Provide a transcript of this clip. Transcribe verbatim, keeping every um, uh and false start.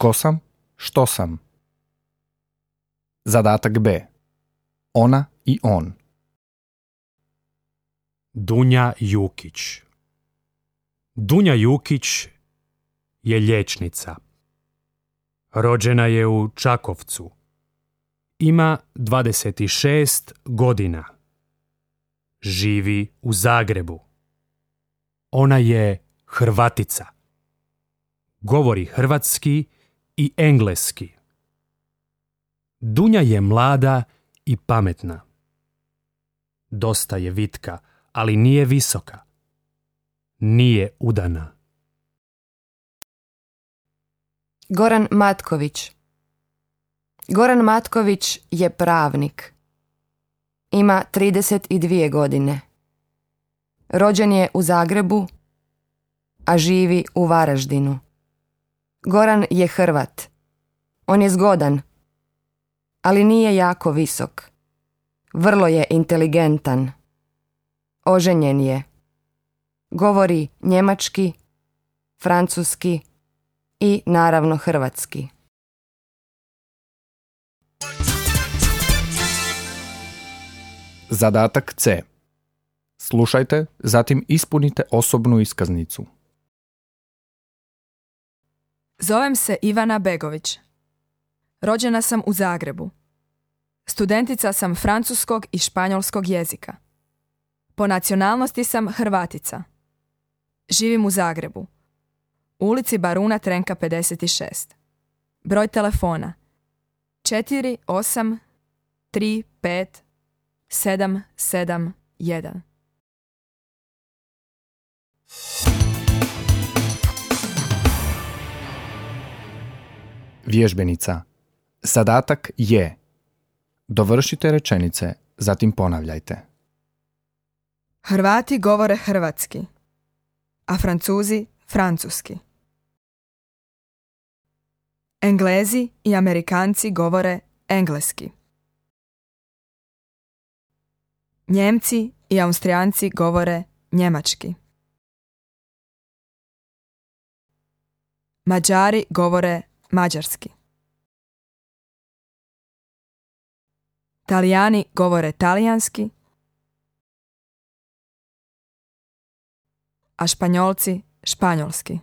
Tko sam? Što sam? Zadatak B. Ona i on. Dunja Jukić. Dunja Jukić je liječnica. Rođena je u Čakovcu. Ima dvadeset šest godina. Živi u Zagrebu. Ona je Hrvatica. Govori hrvatski i engleski. Dunja je mlada i pametna. Dosta je vitka, ali nije visoka. Nije udana. Goran Matković. Goran Matković je pravnik. Ima trideset dvije godine. Rođen je u Zagrebu, a živi u Varaždinu. Goran je Hrvat. On je zgodan, ali nije jako visok. Vrlo je inteligentan. Oženjen je. Govori njemački, francuski i naravno hrvatski. Zadatak C. Slušajte, zatim ispunite osobnu iskaznicu. Zovem se Ivana Begović. Rođena sam u Zagrebu. Studentica sam francuskog i španjolskog jezika. Po nacionalnosti sam Hrvatica. Živim u Zagrebu. U ulici Baruna Trenka pedeset šest. Broj telefona četiri osam tri pet sedam sedam jedan. Vježbenica. Zadatak je: dovršite rečenice, zatim ponavljajte. Hrvati govore hrvatski, a Francuzi francuski. Englezi i Amerikanci govore engleski. Njemci i Austrijanci govore njemački. Mađari govore mađarski. Talijani govore talijanski, a Španjolci španjolski.